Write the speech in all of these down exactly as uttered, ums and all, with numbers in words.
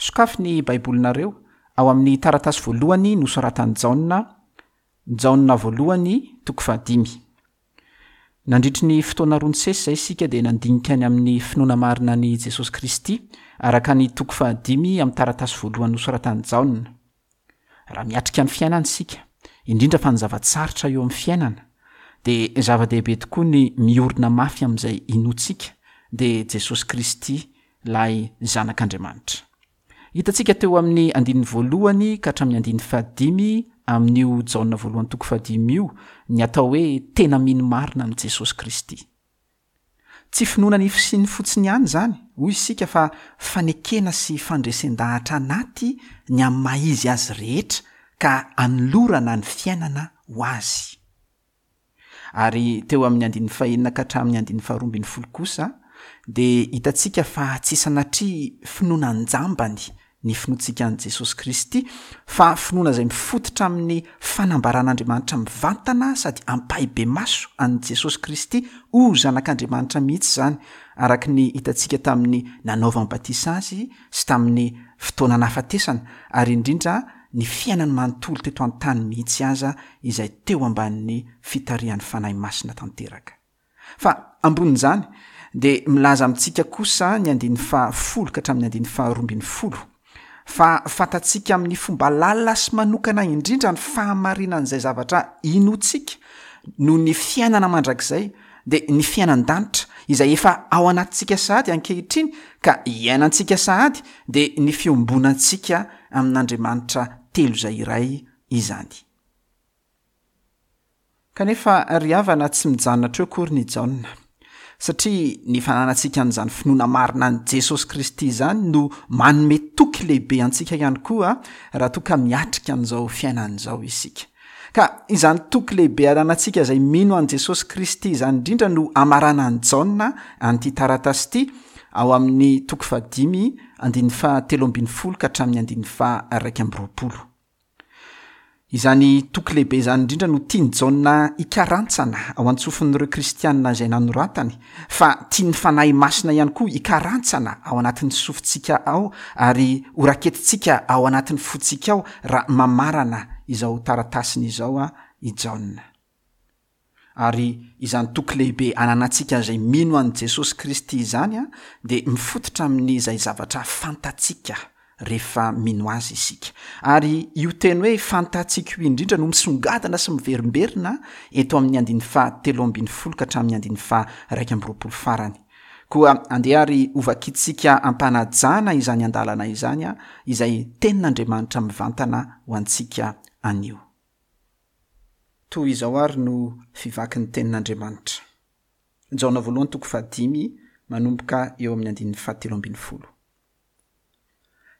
Sokafy ny Baibolinareo ao amin'ny taratasy voalohany nosoratan'i Jaona, Jaona voalohany toko fahadimy. Nandritry ny fotoana roa nisesy izay isika dia nandinika ny amin'ny finoana marina an'i Jesosy Kristy araka ny toko fahadimy amin'ny taratasy voalohany nosoratan'i Jaona. Raha miatrika ny fiainana isika, indrindra fa ny zava-tsarotra eo amin'ny fiainana, dia zava-dehibe tokoa ny miorina mafy amin'izay inoantsika, dia Jesosy Kristy, ilay Zanak'Andriamanitra. Hitantsika teo amin'ny andininy voalohany ka hatramin'ny andininy fahadimy amin'io Jaona voalohany toko fahadimy io ny atao hoe tena mino marina amin'i Jesosy Kristy. Tsy finoana ny fisiany fotsiny ihany izany, hoy isika, fa fanekena sy fandresen-dahatra anaty ny amin'ny maha izy azy rehetra ka anolorana ny fiainana ho azy. Ary teo amin'ny andininy fahenina ka hatramin'ny andininy faharoa ambin'ny folo kosa dia hitantsika fa tsy sanatria finoana an-jambany ny finoantsika an'i Jesosy Kristy, fa finoana izay mifototra amin'ny fanambaran'Andriamanitra mivantana sady ampahibemaso an'i Jesosy Kristy ho Zanak'Andriamanitra mihitsy izany, araka ny hitantsika tamin'ny nanaovany batisa azy sy tamin'ny fotoana nahafatesana, ary indrindra ny fiainany manontolo teto an-tany mihitsy aza izay teo ambanin'ny fitarihan'ny Fanahy Masina tanteraka. Fa ambonin'izany dia milaza amintsika kosa ny andininy fahafolo ka hatramin'ny andininy faharoa ambin'ny folo fa fantatsika amin'ny fomba lalina sy manokana indrindra ny fahamarinan'izay zavatra inoantsika noho ny fiainana mandrakizay, dia ny fiainan-danitra izay efa ao anatintsika sahady ankehitriny ka iainantsika sahady, dia ny fiombonantsika amin'Andriamanitra telo izay iray izany. Kanefa ry havana, tsy mijanona hatreo akory ny Jaona, satria ny fananantsika an'izany finoana marina an'i Jesosy Kristy izany no manome toky lehibe antsika ihany koa raha toa ka miatrika an'izao fiainana izao isika. Ka izany toky lehibe ananantsika izay mino an'i Jesosy Kristy izany indrindra no amaranan'i Jaona an'ity taratasy ity ao amin'ny toko fahadimy andininy fahatelo ambin'ny folo ka hatramin'ny andininy faha-iraika amby roapolo. Izany toky lehibe izany indrindra no tian'i Jaona hikarantsana ao an-tsofin'ireo kristianina izay nanoratany, fa tian'ny Fanahy Masina ihany koa hikarantsana ao anatin'ny sofintsika ao ary horaketintsika ao anatin'ny fontsika ao raha mamarana izao taratasiny izao i Jaona. Ary izany toky lehibe ananantsika izay mino an'i Jesosy Kristy izany dia mifototra amin'izay zavatra fantatsika rehefa mino azy isika. Ary io teny hoe fantatsika io indrindra no misongadina sy miverimberina eto amin'ny andininy fahatelo ambin'ny folo ka hatramin'ny andininy faha-iraika amby roapolo farany. Koa andeha ary hovakitsika ampanajana izany andalana izany, izay tenin'Andriamanitra mivantana ho antsika anio. Toy izao ary no fivaky ny tenin'Andriamanitra. Jaona voalohany toko fahadimy manomboka eo amin'ny andininy fahatelo ambin'ny folo.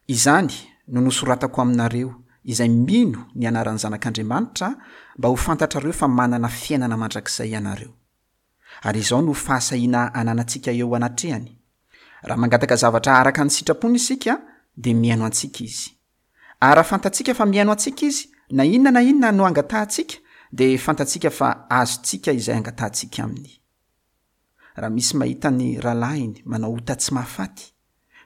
Izany no nosoratako aminareo izay mino ny anaran'ny Zanak'Andriamanitra mba ho fantatrareo fa manana fiainana mandrakizay ianareo. Ary izao no fahasahiana ananantsika eo anatrehany. Raha mangataka zavatra araka ny sitrapony isika, dia mihaino antsika izy. Ary raha fantatsika fa mihaino antsika izy, na inona na inona no angatahantsika, dia fantatsika fa azontsika izay angatahantsika aminy. Raha misy mahita ny rahalahiny manao ota tsy mahafaty,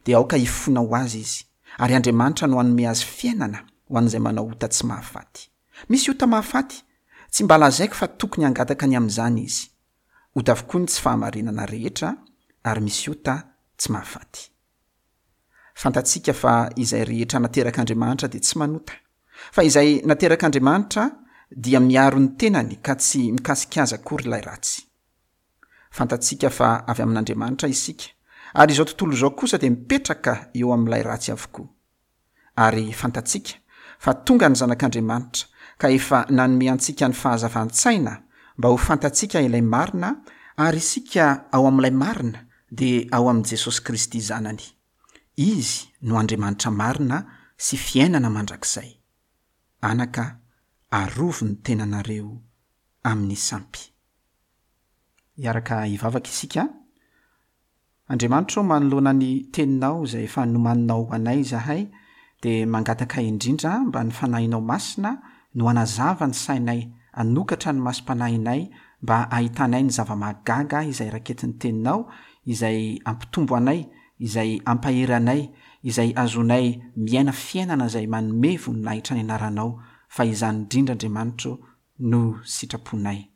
dia aoka hifona ho azy izy, ary Andriamanitra no hanome azy fiainana ho an'izay manao ota tsy mahafaty. Misy ota mahafaty, tsy mba lazaiko fa tokony hangataka ny amin'izany izy. Ota avokoa ny tsy fahamarinana rehetra, ary misy ota tsy mahafaty. Fantatsika fa izay rehetra naterak'Andriamanitra dia tsy manota, fa izay naterak'Andriamanitra dia miaro ny tenany ka tsy mikasika azy akory ilay ratsy. Fantatsika fa avy amin'Andriamanitra isika, ary izao tontolo izao kosa dia mipetraka eo amin'ilay ratsy avokoa. Ary fantatsika fa tonga ny Zanak'Andriamanitra ka efa nanome antsika ny fahazavan-tsaina mba ho fantatsika ilay marina, ary isika ao amin'ilay marina dia ao amin'i Jesosy Kristy Zanany. Izy no Andriamanitra marina sy fiainana mandrakizay. Anaka, arovy ny tenanareo amin'ny sampy. Hiaraka hivavaka isika. Andriamanitra ô, manoloana ny teninao izay efa nomaninao ho anay izahay, dia mangataka indrindra mba ny Fanahinao Masina no hanazava ny sainay, hanokatra ny masom-panahinay mba hahitanay ny zava-mahagaga izay raketin'ny teninao, izay hampitombo anay, izay hampahery anay, izay azonay miaina fiainana izay manome voninahitra ny anaranao, fa izany indrindra Andriamanitra ô no sitraponay.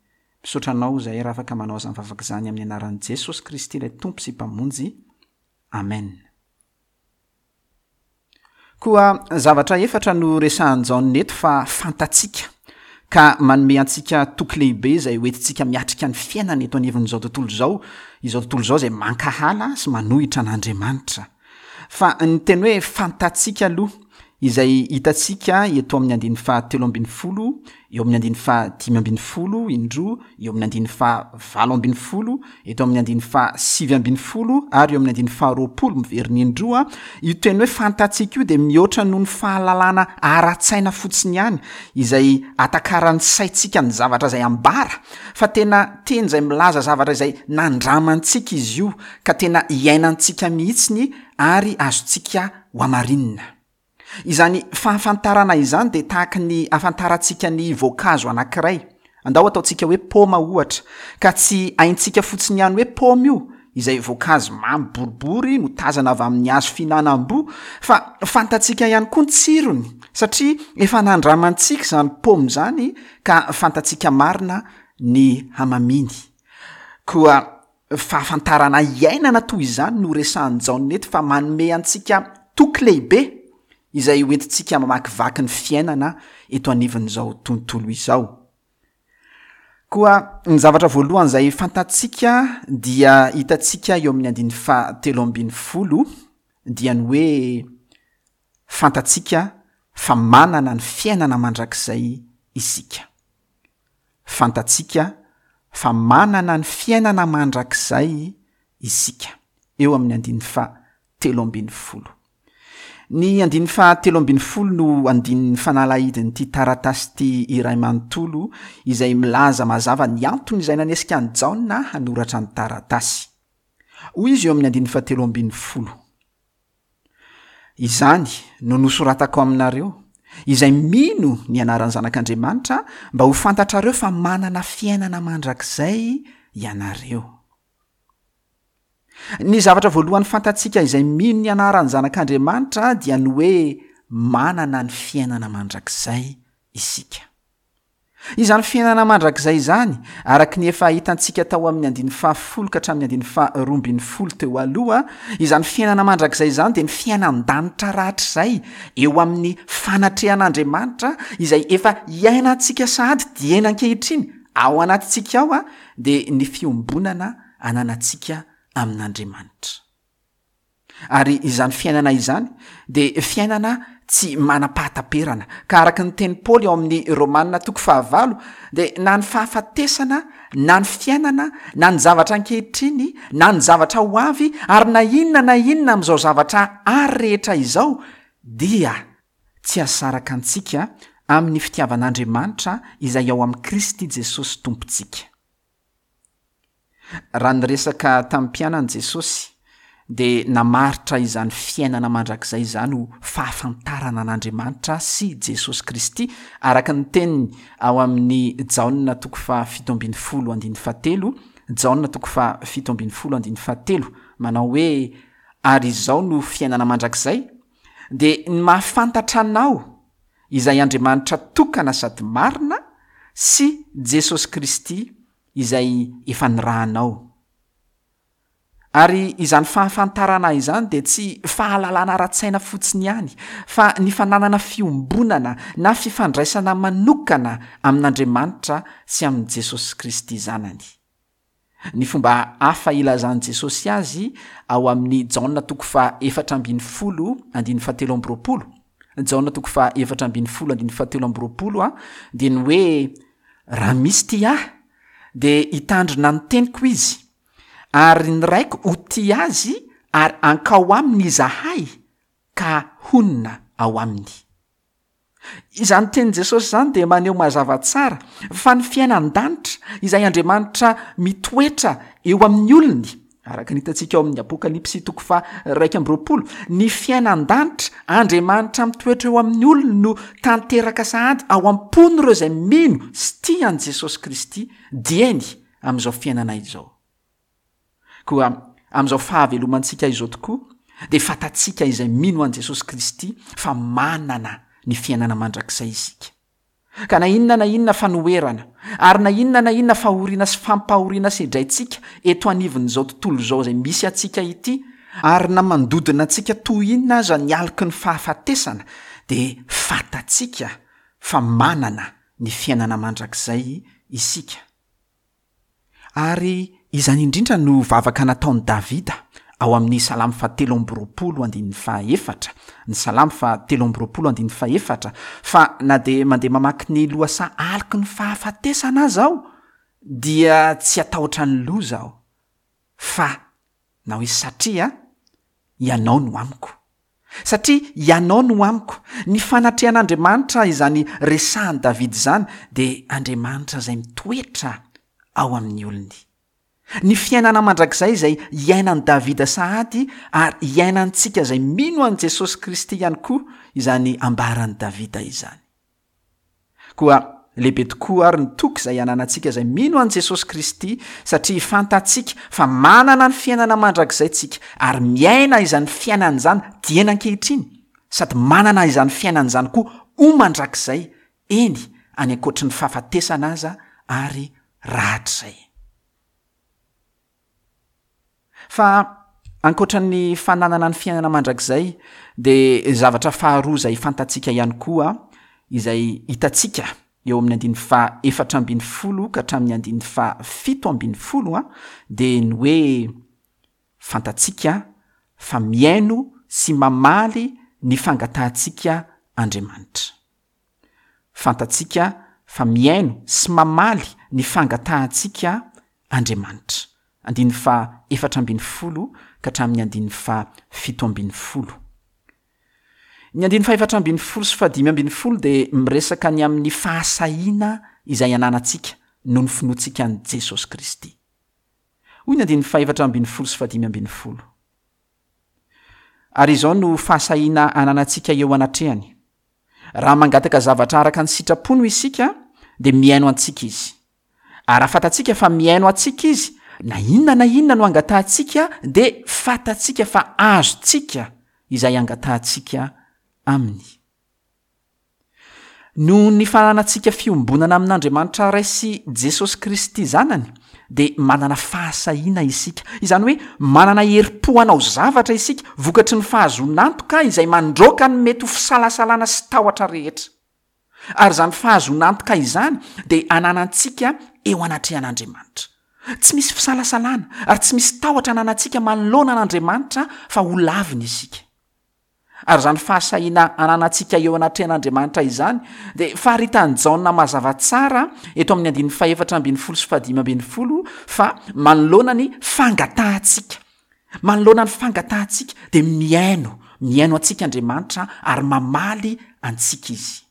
Misaotra anao izahay raha afaka manao izany vavaka izany amin'ny anaran'i Jesosy Kristy ilay Tompo sy Mpamonjy. Amen. Koa zavatra efatra no resahan'i Jaona eto fa fantatsika, ka manome antsika toky lehibe izay hoentintsika miatrika ny fiainana eto anivon'izao tontolo izao, izao tontolo izao izay mankahala sy manohitra an'Andriamanitra. Fa ny teny hoe fantatsika aloha, izay hitantsika eto amin'ny andininy fahatelo ambin'ny folo, eo amin'ny andininy fahadimy ambin'ny folo indroa, eo amin'ny andininy fahavalo ambin'ny folo, eto amin'ny andininy fahasivy ambin'ny folo ary eo amin'ny andininy faharoapolo miverina indroa, io teny hoe fantatsika io dia mihoatra noho ny fahalalana ara-tsaina fotsiny ihany, izay atakaran'ny saintsika ny zavatra izay ambara, fa tena teny izay milaza zavatra izay nandramantsika izy io, ka tena iainantsika mihitsiny ary azontsika hohamarinina. Izany fahafantarana izany dia tahaka ny ahafantarantsika ny voankazo anankiray. Andao ataontsika hoe paoma ohatra, ka tsy haintsika fotsiny ihany hoe paoma io, izay voankazo mamy boribory notazana avy amin'ny hazo fihinanam-boa, fa fantatsika ihany koa ny tsirony, satria efa nandramantsika izany paoma izany ka fantatsika marina ny hamaminy. Koa fahafantarana iainana toy izany no resahan'i Jaona eto, fa manome antsika toky lehibe izay hoentintsika mamakivaky ny fiainana eto anivon'izao tontolo izao. Koa ny zavatra voalohany izay fantatsika dia hitantsika eo amin'ny andininy fahatelo ambin'ny folo, dia ny hoe fantatsika fa manana ny fiainana mandrakizay isika. Fantatsika fa manana ny fiainana mandrakizay isika, eo amin'ny andininy fahatelo ambin'ny folo. Ny andininy fahatelo ambin'ny folo no andininy fanalahidin'ity taratasy ity iray manontolo, izay milaza mazava ny antony izay nanesika an'i Jaona hanoratra ny taratasy. Hoy izy eo amin'ny andininy fahatelo ambin'ny folo: Izany no nosoratako aminareo, izay mino ny anaran'ny Zanak'Andriamanitra, mba ho fantatrareo fa manana fiainana mandrakizay ianareo. Ny zavatra voalohany fantatsika izay mino ny anaran'ny Zanak'Andriamanitra dia ny hoe manana ny fiainana mandrakizay isika. Izany fiainana mandrakizay izany, araka ny efa hitantsika tao amin'ny andininy fahafolo ka hatramin'ny andininy faharoa ambin'ny folo teo aloha, izany fiainana mandrakizay izany dia ny fiainan-danitra rahatrizay eo amin'ny fanatrehan'Andriamanitra izay efa iainantsika sahady dieny ankehitriny ao anatintsika ao, dia ny fiombonana ananantsika amin'Andriamanitra. Ary izany fiainana izany dia fiainana tsy manam-pahataperana, ka araka ny teny Paoly ao amin'ny Romana toko fahavalo dia na ny fahafatesana, na ny fiainana, na ny zavatra ankehitriny, na ny zavatra ho avy, ary na inona na inona amin'izao zavatra ary rehetra izao dia tsy hahasaraka antsika amin'ny fitiavan'Andriamanitra izay ao amin'i Kristy Jesosy Tompontsika. Raha niresaka tamin'ny mpianany Jesosy dia namaritra izany fiainana mandrakizay izany ho fahafantarana an'Andriamanitra sy Jesosy Kristy, araka ny teniny ao amin'ny Jaona toko fahafito ambin'ny folo andininy fahatelo, Jaona toko fahafito ambin'ny folo andininy fahatelo, manao hoe: ary izao no fiainana mandrakizay, dia ny mahafantatra anao izay Andriamanitra tokana sady marina sy Jesosy Kristy izay efa nirahanao. Ary izany fahafantarana izany dia tsy fahalalana ara-tsaina fotsiny ihany, fa ny fananana fiombonana na fifandraisana manokana amin'Andriamanitra sy amin'i Jesosy Kristy Zanany. Ny fomba hafa ilazan'i Jesosy azy ao amin'ny Jaona toko faha efatra ambin'ny folo andininy fahatelo amby roapolo, Jaona toko faha efatra ambin'ny folo andininy fahatelo amby roapolo a, dia ny hoe: raha misy tia ahy dia hitandrina ny teniko izy, ary ny Raiko ho tia azy, ary hankao aminy izahay ka honina ao aminy. Izany tenin'i Jesosy izany dia maneho mazava tsara fa ny fiainan-danitra izay Andriamanitra mitoetra eo amin'ny olony, araka ny hitantsika ao amin'ny Apokalypsy toko faha iraika amby roapolo, ny fiainan-danitra Andriamanitra mitoetra eo amin'ny olony no tanteraka sahady ao am-pon'ireo izay mino sy tia an'i Jesosy Kristy dieny amin'izao fiainana izao. Koa amin'izao fahavelomantsika izao tokoa dia fantatsika izay mino an'i Jesosy Kristy fa manana ny fiainana mandrakizay isika. Ka na inona na inona fanoherana, ary na inona na inona fahoriana sy fampahoriana sedraintsika eto anivon'izao tontolo izao izay misy antsika ity, ary na mandodona antsika toy inona aza ny aloky ny fahafatesana, dia fantatsika fa manana ny fiainana mandrakizay isika. Ary izany indrindra no vavaka nataon'i Davida ao amin'ny Salamo fahatelo amby roapolo andininy fahaefatra, ny Salamo fahatelo amby roapolo andininy fahaefatra, fa na dia mandeha mamaky ny lohasaha aloky ny fahafatesana aza aho, dia tsy hatahotra ny loza aho, fa na hoe satria Ianao no amiko. Satria Ianao no amiko. Ny fanatrehan'Andriamanitra izany resahan'i Davida izany dia Andriamanitra izay mitoetra ao amin'ny olony. Ny fiainana mandrakizay izay iainan'i Davida sahady ary iainantsika izay mino an'i Jesosy Kristy ihany koa izany ambaran'i Davida izany. Koa lehibe tokoa ary ny toky izay ananantsika izay mino an'i Jesosy Kristy, satria fantatsika fa manana ny fiainana mandrakizay tsika ary miaina izany fiainana izany dieny ankehitriny, sady manana izany fiainana izany koa ho mandrakizay, eny any ankoatry ny fahafatesana aza ary rahatrizay. Fa ankoatra ny fananana ny fiainana mandrakizay, dia zavatra faharoa izay fantatsika ihany koa, izay hitantsika eo amin'ny andininy faha efatra ambin'ny folo ka hatramin'ny andininy faha fito ambin'ny folo, dia ny hoe fantatsika fa mihaino sy mamaly ny fangatahantsika Andriamanitra. Fantatsika fa mihaino sy mamaly ny fangatahantsika Andriamanitra. Andininy faha efatra ambin'ny folo ka hatramin'ny andininy faha fito ambin'ny folo. Ny andininy faha efatra ambin'ny folo sy faha dimy ambin'ny folo dia miresaka ny amin'ny fahasahiana izay ananantsika noho ny finoantsika an'i Jesosy Kristy. Hoy ny andininy faha efatra ambin'ny folo sy faha dimy ambin'ny folo. Ary izao no fahasahiana ananantsika eo anatrehany. Raha mangataka zavatra araka ny sitrapony isika, dia mihaino antsika izy. Ary raha fantatsika fa mihaino antsika izy, na inona na inona no angatahantsika, dia fantatsika fa azontsika izay angatahantsika aminy. Noho ny fananantsika fiombonana amin'Andriamanitra Ray sy Jesosy Kristy Zanany, dia manana fahasahiana isika. Izany hoe manana herim-po hanao zavatra isika vokatry ny fahazoan'antoka izay mandroaka ny mety ho fisalasalana sy tahotra rehetra. Ary izany fahazoan'antoka izany dia ananantsika eo anatrehan'Andriamanitra. Tsy misy fisalasalana ary tsy misy tahotra ananantsika manoloana an'Andriamanitra fa ho laviny isika. Ary izany fahasahiana ananantsika eo anatrehan'Andriamanitra izany dia faritan'i Jaona mazava tsara eto amin'ny andininy fahefatra ambin'ny folo sy fahadimy ambin'ny folo fa manoloana ny fangatahantsika. Manoloana ny fangatahantsika dia mihaino, mihaino antsika Andriamanitra ary mamaly antsika izy.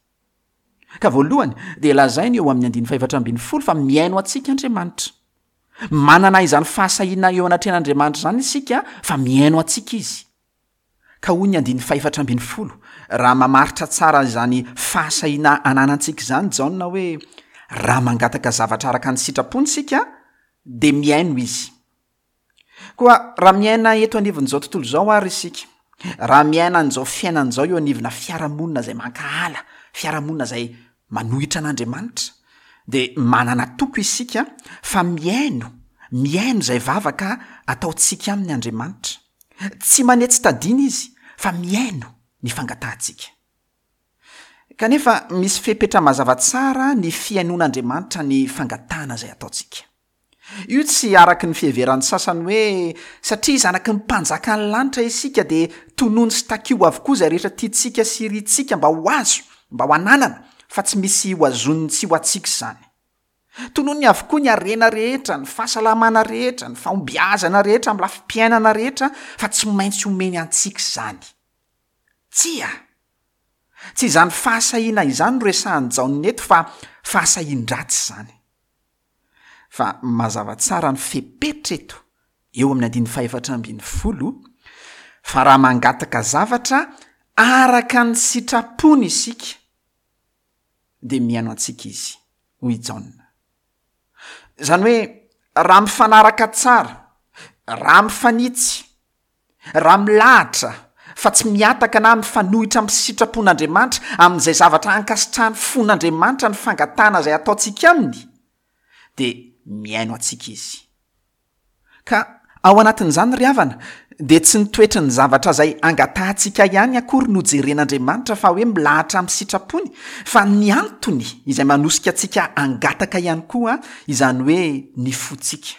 Ka voalohany dia lazainy eo amin'ny andininy fahefatra ambin'ny folo fa mihaino antsika Andriamanitra. Manana izany fahasahiana eo anatrehan'Andriamanitra izany isika fa mihaino antsika izy. Ka hoy ny andininy fahefatra ambin'ny folo, raha mamaritra tsara izany fahasahiana ananantsika izany Jaona hoe raha mangataka zavatra araka ny sitrapony isika dia mihaino izy. Koa raha miaina eto anivon'izao tontolo izao ary isika, raha miaina an'izao fiainana izao eo anivona fiarahamonina izay mankahala, fiarahamonina izay manohitra an'Andriamanitra, dia manana toko isika fa mihaino, mihaino izay vavaka ataontsika aminy Andriamanitra. Tsy manetsy tadina izy fa mihaino ny fangatahantsika. Kanefa misy fepetra mazava tsara ny fihainoan'Andriamanitra ny fangatahana izay ataontsika. Io tsy araky ny fiheveran'ny sasany hoe satria zanaky ny mpanjakan'ny lanitra isika dia tonony sy takio avokoa izay rehetra tiantsika sy irintsika mba ho azo, mba ho ananana, fa tsy misy ho azoniny tsy ho antsika izany. Tonony avokoa ny harena rehetra, ny fahasalamana rehetra, ny fahombiazana rehetra, amin'ny lafim-piainana rehetra, fa tsy maintsy omeny antsika izany. Tsia! Tsy izany fahasahiana izany no resahan'i Jaona eto fa fahasahian-dratsy izany. Fa mazava tsara ny fepetra eto, eo amin'ny andininy fahefatra ambin'ny folo, fa raha mangataka zavatra araka ny sitrapony isika, dia mihaino antsika izy, hoy i Jaona. Izany hoe raha mifanaraka tsara, raha mifanitsy, Raha milahatra fa tsy mihataka na mifanohitra amin'ny sitrapon'Andriamanitra, amin'izay zavatra ankasitrahan'ny fon'Andriamanitra ny fangatahana izay ataontsika aminy, dia mihaino antsika Izy. Ka ao anatin'izany ry havana, dia tsy ny toetry ny zavatra izay angatahantsika ihany akory no jeren'Andriamanitra fa hoe milahatra amin'ny sitrapony, fa ny antony izay manosika antsika hangataka ihany koa, izany hoe ny fontsika.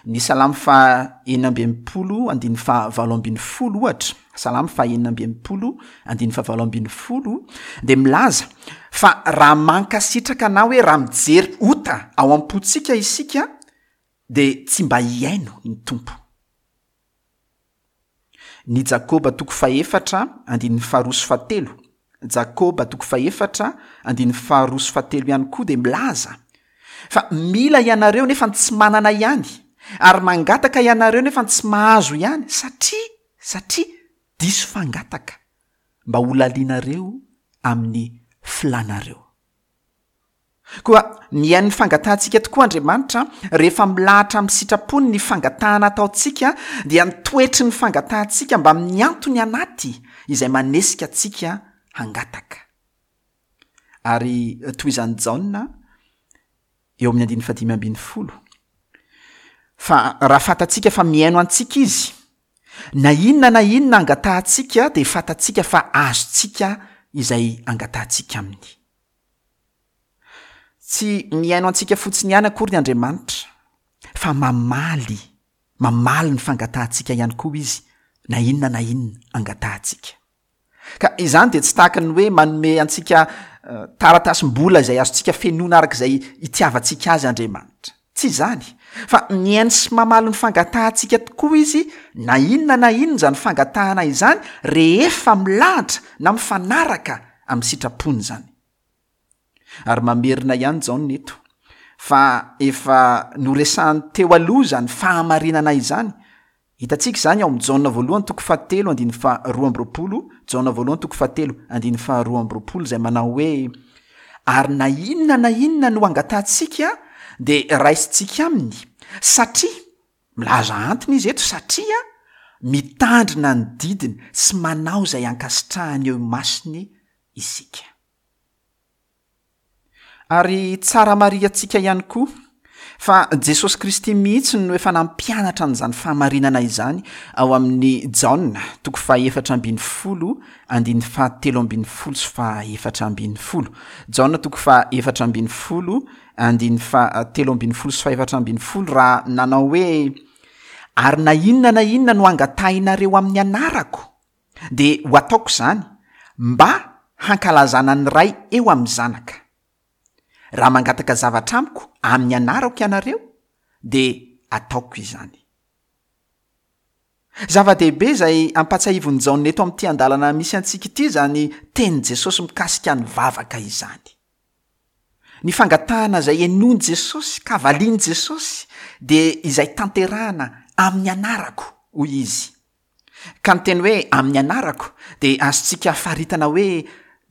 Ny Salamo faha enina amby enimpolo andininy faha valo ambin'ny folo ohatra, Salamo faha enina amby enimpolo andininy faha valo ambin'ny folo dia milaza fa raha mankasitraka na hoe raha mijery ota ao am-pontsika isika dia tsy mba hihaino ny Tompo. Ny Jakoba toko fahefatra andininy faharoa sy fahatelo, Jakoba toko fahefatra andininy faharoa sy fahatelo ihany koa dia milaza fa mila ianareo nefa tsy manana ihany, ary mangataka ianareo nefa tsy mahazo ihany, satria, satria diso fangataka mba ho lalianareo amin'ny filanareo. Koa mihaino ny fangatahantsika tokoa Andriamanitra rehefa milahatra amin'ny sitrapony ny fangatahana ataontsika, dia ny toetry ny fangatahantsika mba amin'ny antony anaty izay manesika antsika hangataka. Ary tohizan'i Jaona eo amin'ny andininy fahadimy ambin'ny folo, fa raha fantatsika fa mihaino antsika Izy, na inona na inona angatahantsika dia fantatsika fa azontsika izay angatahantsika aminy. Tsy mihaino antsika fotsiny ihany akory ny Andriamanitra, fa mamaly, mamaly ny fangatahantsika ihany koa Izy, na inona na inona angatahantsika. Ka izany dia tsy tahaka ny hoe manome antsika taratasim-bola izay azontsika fenoina araka izay itiavantsika azy Andriamanitra. Tsy izany, fa mihaino sy mamaly ny fangatahantsika tokoa Izy, na inona na inona izany fangatahana izany, rehefa milahatra na mifanaraka amin'ny sitrapony izany. Ary mamerina ihany Jaona eto, fa efa noresahany teo aloha izany fahamarinana izany. Hitantsika izany ao amin'ny Jaona voalohany toko fahatelo andininy faharoa amby roapolo, Jaona voalohany toko fahatelo andininy faharoa amby roapolo, izay manao hoe: ary na inona na inona no angatahantsika dia raisintsika aminy, satria, milaza antony izy eto, satria mitandrina ny didiny sy manao izay ankasitrahany eo imasony isika. Ary tsara marihantsika ihany koa fa Jesosy Kristy mihitsy no efa nampianatra an'izany fahamarinana izany ao amin'ny Jaona toko fahaefatra ambin'ny folo andininy fahatelo ambin'ny folo sy fahaefatra ambin'ny folo. Jaona toko fahaefatra ambin'ny folo andininy fahatelo ambin'ny folo sy fahaefatra ambin'ny folo, raha nanao hoe: ary na inona na inona no angatahinareo amin'ny anarako dia ho ataoko izany mba hankalazana ny Ray eo amin'ny Zanaka. Raha mangataka zavatra amiko amin'ny anarako ianareo dia ataoko izany. Zava-dehibe izay ampatsahivon'i Jaona eto amin'ity andalana misy antsika ity izany tenin'i Jesosy mikasika ny vavaka izany. Ny fangatahana izay henoin'i Jesosy ka valian'i Jesosy dia izay tanterahana amin'ny anarako, hoy izy. Ka ny teny hoe amin'ny anarako dia azontsika faritana hoe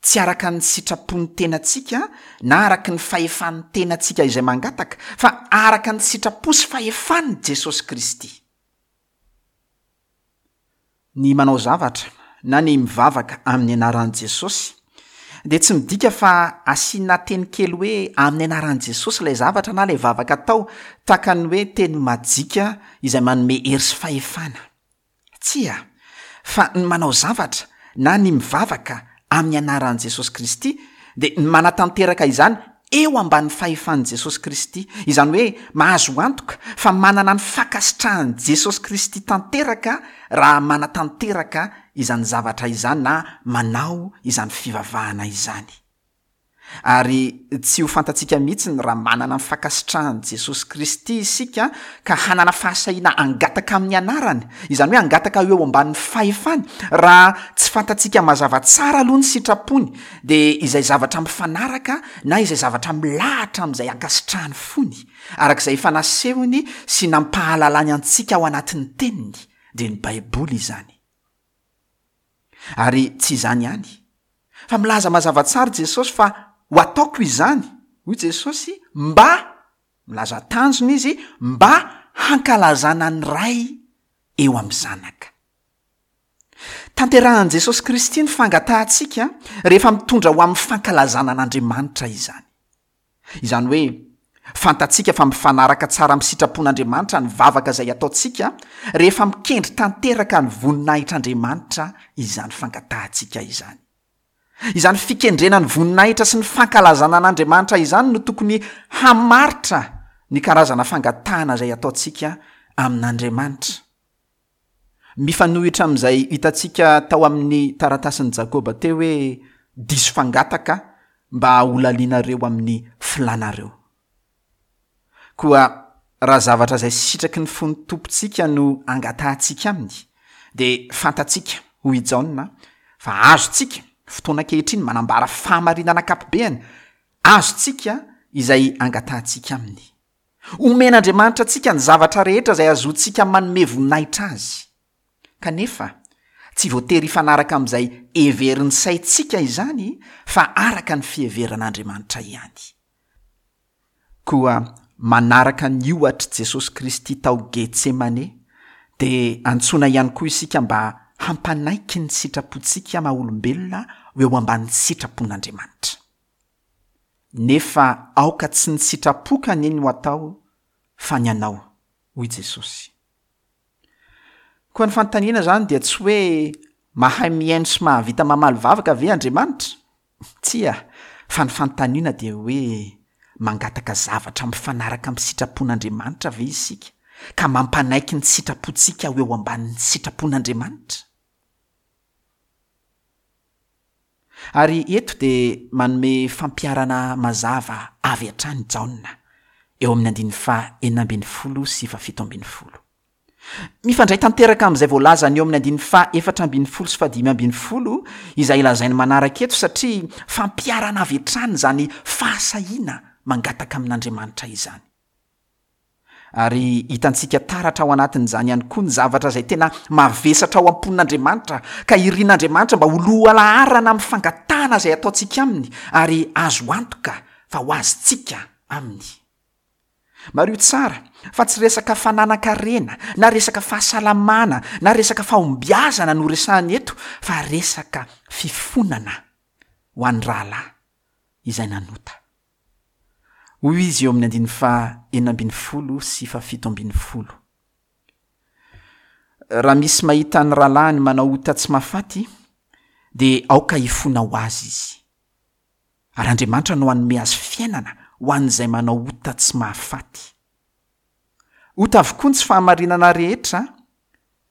tsy araka ny sitrapon'ny tenantsika na araka ny fahefan'ny tenantsika izay mangataka, fa araka ny sitrapo sy fahefan'i Jesosy Kristy. Ny manao zavatra na ny mivavaka amin'ny anaran'i Jesosy dia tsy midika fa asiana teny kely hoe amin'ny anaran'i Jesosy ilay zavatra na ilay vavaka atao, tahaka ny hoe teny majika izay manome hery sy fahefana. Tsia, fa ny manao zavatra na ny mivavaka amin'ny anaran'i Jesosy Kristy dia ny manatanteraka izany eo ambanin'ny fahefan'i Jesosy Kristy, izany hoe mahazo antoka fa manana ny fankasitrahan'i Jesosy Kristy tanteraka raha manatanteraka izany zavatra izany na manao izany fivavahana izany. Ary tsy ho fantatsika mihitsy ny raha manana ny fankasitrahan'i Jesosy Kristy isika ka hanana fahasahiana hangataka amin'ny anarany, izany hoe hangataka eo ambanin'ny fahefany, raha tsy fantatsika mazava tsara aloha ny sitrapony, dia izay zavatra mifanaraka na izay zavatra milahatra amin'izay ankasitrahan'ny fony, araka izay efa nasehony sy nampahalalany antsika ao anatin'ny teniny, dia ny Baiboly izany. Ary tsy izany ihany, fa milaza mazava tsara Jesosy fa ho ataoko izany, hoy Jesosy, mba, milaza tanjona izy, mba hankalazana ny Ray eo amin'ny Zanaka. Tanterahan'i Jesosy Kristy ny fangatahantsika rehefa mitondra ho amin'ny fankalazana an'Andriamanitra izany. Izany hoe, fantatsika fa mifanaraka tsara amin'ny sitrapon'Andriamanitra ny vavaka izay ataontsika rehefa mikendry tanteraka ny voninahitr'Andriamanitra izany fangatahantsika izany. Izany fikendrena ny voninahitra sy ny fankalazana an'Andriamanitra izany no tokony hamaritra ny karazana fangatahana izay ataontsika amin'Andriamanitra. Mifanohitra amin'izay hitantsika tao amin'ny taratasin'i Jakoba teo hoe diso fangataka mba holalianareo amin'ny filanareo. Koa raha zavatra izay sitraky ny fon'ny Tompontsika no angatahantsika aminy, dia fantatsika, hoy i Jaona, fa azontsika, fotoana ankehitriny manambara fahamarinana ankapobeany, azontsika izay angatahantsika aminy. Omen'Andriamanitra antsika ny zavatra rehetra izay azontsika manome voninahitra azy. Kanefa, tsy voatery hifanaraka amin'izay heverin'ny saintsika izany fa araka ny fiheveran'Andriamanitra ihany. Koa manaraka ny ohatr'i Jesosy Kristy tao Getsemane, dia antsoina ihany koa isika mba hampanaiky ny sitrapontsika maha olombelona ho eo ambanin'ny sitrapon'Andriamanitra. Nefa aoka tsy ny sitrapoko anie no atao fa ny anao, hoy Jesosy. Koa ny fanontaniana izany dia tsy hoe mahay mihaino sy mahavita mamaly vavaka ve Andriamanitra? Tsia, fa ny fanontaniana dia hoe mangataka zavatra mifanaraka amin'ny sitrapon'Andriamanitra ve isika ka mampanaiky ny sitrapontsika ho eo ambanin'ny sitrapon'Andriamanitra? Ary eto dia manome fampiharana mazava avy hatrany Jaona, eo amin'ny andininy faha enina ambin'ny folo sy fahafito ambin'ny folo. Mifandray tanteraka amin'izay voalazany eo amin'ny andininy faha efatra ambin'ny folo sy fahadimy ambin'ny folo izay lazainy manaraka eto, satria fampiharana avy hatrany izany fahasahiana mangataka amin'Andriamanitra izany. Ary hitantsika taratra ao anatin'izany ihany koa ny zavatra izay tena mavesatra ao am-pon'Andriamanitra, ka irin'Andriamanitra mba ho lohalaharana amin'ny fangatahana izay ataontsika aminy, ary azo antoka fa ho azontsika aminy. Mariho tsara fa tsy resaka fananan-karena, na resaka fahasalamana, na resaka fahombiazana no resahana eto, fa resaka fifonana ho an'ny rahalahy izay nanota. Hoy izy eo amin'ny andininy faha enina ambin'ny folo sy fahafito ambin'ny folo. Raha misy mahita ny rahalahiny manao ota tsy mahafaty, dia aoka hifona ho azy izy. Ary Andriamanitra no hanome azy fiainana ho an'izay manao ota tsy mahafaty. Ota avokoa ny tsy fahamarinana rehetra,